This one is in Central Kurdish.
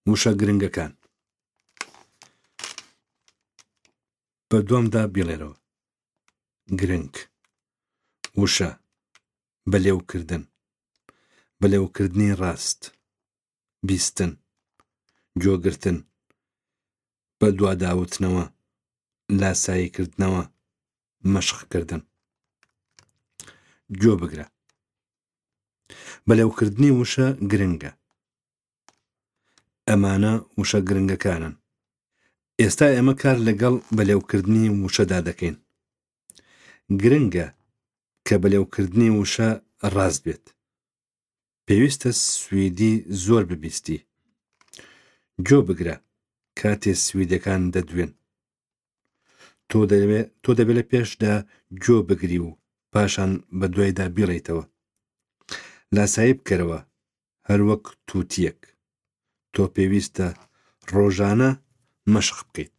وشە گرنگەکان بە دوامدا بیڵێرەوە. گرنگ، وشە، بەلێوکردن، بەلێوکردنی ڕاست، بیستن، گۆگرتن، بەدواداوتنەوە، لاساییکردنەوە، مەشقکردن. گۆ بگرە. بەلێوکردنی وشە گرنگە. ئەمانە وشە گرنگەکانن. ئێستا ئێمە کار لەگەڵ بەلێوکردنی وشەدا دەکەین. گرنگە کە بەلێوکردنی وشە ڕاست بێت. پێویستە سویدی زۆر ببیستی. گۆ بگرە کاتێ سویدەکان دەدوێن. تۆ دەبێ تۆ دەبێ لە پێشدا گۆ بگری و پاشان بە دوایدا بیڵێیتەوە. لاسایی بکەرەوە هەروەک تووتییەک. تۆ پێویستە ڕۆژانە مەشق بکەیت.